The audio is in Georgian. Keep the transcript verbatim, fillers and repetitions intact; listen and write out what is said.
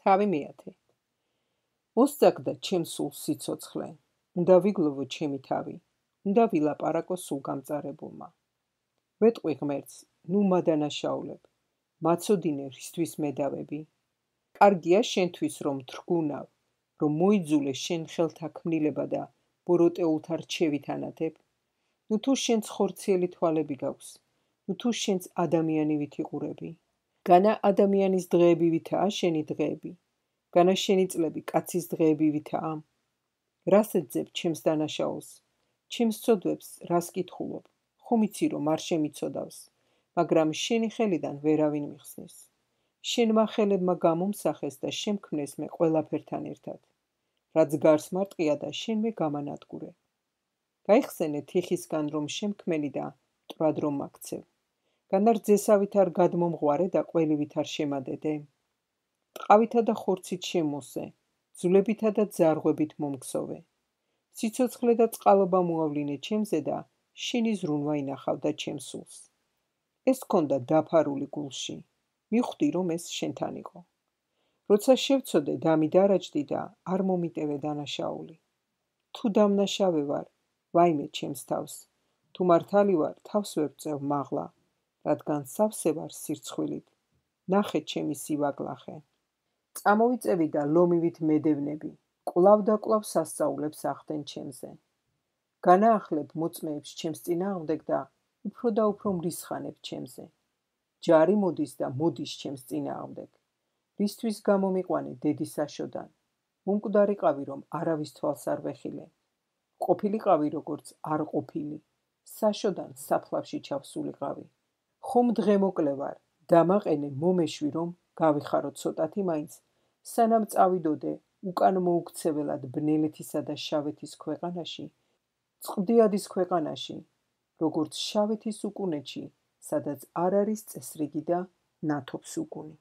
თავი მეათე. მოსწაგდა ჩემ სულს სიცოცხლე, უნდა ვიგლოვო ჩემი თავი, უნდა ვილაპარაკო სულგამწარებულმა. ვეტყვი ღმერთს, ნუ მადანაშაულებ, მაცოდინე რისთვის მედავები. კარგია შენთვის რომ თრგუნავ, რომ მოიძულე შენ ხელთა ქმნილება და ბოროტეულთა რჩევით ანათებ. ნუ თუ შენც ხორციელი თვალები გაქვს, ნუ თუ შენც ადამიანი ვითიყურები. განა ადამიანის დღეები ვითაა შენი დღეები, განა შენი წლები კაცის დღეები ვითაა. რას ეძებ ჩემს დანაშაულს, ჩემს ცოდვებს რას კითხულობ, ხომ იცი რომ არ შემიცოდავს, მაგრამ შენი ხელიდან ვერავინ მიხსნის. შენმა ხელებმა გამომსახეს და შემქმნეს მე ყველაფერთან ერთად. რაც გარს მარტყია და შენმე გამანადგურე. გაიხსენე თიხისგან რომ შემქმენი და მტრად რომ მაქცევ. განა რძესავით არ გადმომღვარე და ყველივით არ შემადედე. ტყავითა და ხორცით შემოსე, ძვლებითა და ძარღვებით მომგსოვე. სიცოცხლე და წყალობა მოავლინე ჩემზე და შენი ზრუნვა ინახავდა ჩემს სულს. ეს ქონდა დაფარული გულში, მიხვდი რომ ეს შენთან იყო. როცა შევცოდე დამი დარაჯდი და არ მომიტევე დანაშაული. თუ დამნაშავე ვარ, ვაიმე ჩემს თავს, თუ მართალი ვარ, თავს ვერ ვწევ მაღლა, რადგან სავსე ვარ სირცხვილით. ნახე ჩემი სივაგლახე. წამოვიწევი და ლომივით მედევნები, კვლავ და კვლავ სასწაულებს ახდენ ჩემზე. განაახლებ მოწმეებს ჩემს წინააღმდეგ და უფრო და უფრო მრისხანებ ჩემზე. ჯარი მოდის და მოდის ჩემს წინააღმდეგ. რისთვის გამომიყვანე დედისაშოდან, მომკვდარიყავი რომ არავის თვალს არ ვეხილე. ყოფილიყავი როგორც არ ყოფილი, საშოდან საფლავში ჩავსულიყავი. ხომ დღე მოკლე ვარ, დამაყენე მომეშვი რომ გავიხარო ცოტათი მაინც, სანამ წავიდოდე უკან მოუქცეველად ბნელეთისა და შავეთის ქვეყანაში, წყდიადის ქვეყანაში, როგორც შავეთის უკუნეთში, სადაც არ არის წესრიგი და ნათობს უკუნი.